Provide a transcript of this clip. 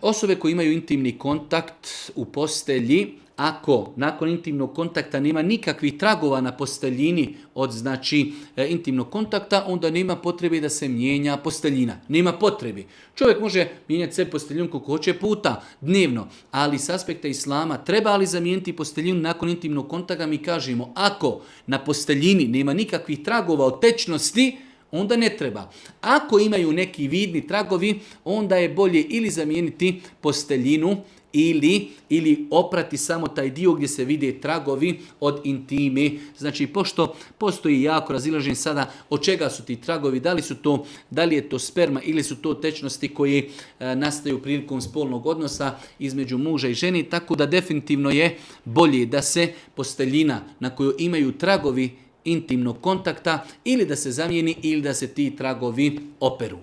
Osobe koje imaju intimni kontakt u postelji, ako nakon intimnog kontakta nema nikakvih tragova na posteljini od intimnog kontakta, onda nema potrebe da se mijenja posteljina. Nema potrebe. Čovjek može mijenjati sve posteljinu koliko hoće puta dnevno, ali s aspekta islama treba li zamijeniti posteljinu nakon intimnog kontakta, mi kažemo ako na posteljini nema nikakvih tragova od tečnosti, onda ne treba. Ako imaju neki vidni tragovi, onda je bolje ili zamijeniti posteljinu ili oprati samo taj dio gdje se vide tragovi od intime. Znači, pošto postoji jako razilaženje sada od čega su ti tragovi, da li je to sperma ili su to tečnosti koje nastaju prilikom spolnog odnosa između muža i žene, tako da definitivno je bolje da se posteljina na kojoj imaju tragovi intimnog kontakta ili da se zamijeni ili da se ti tragovi operu.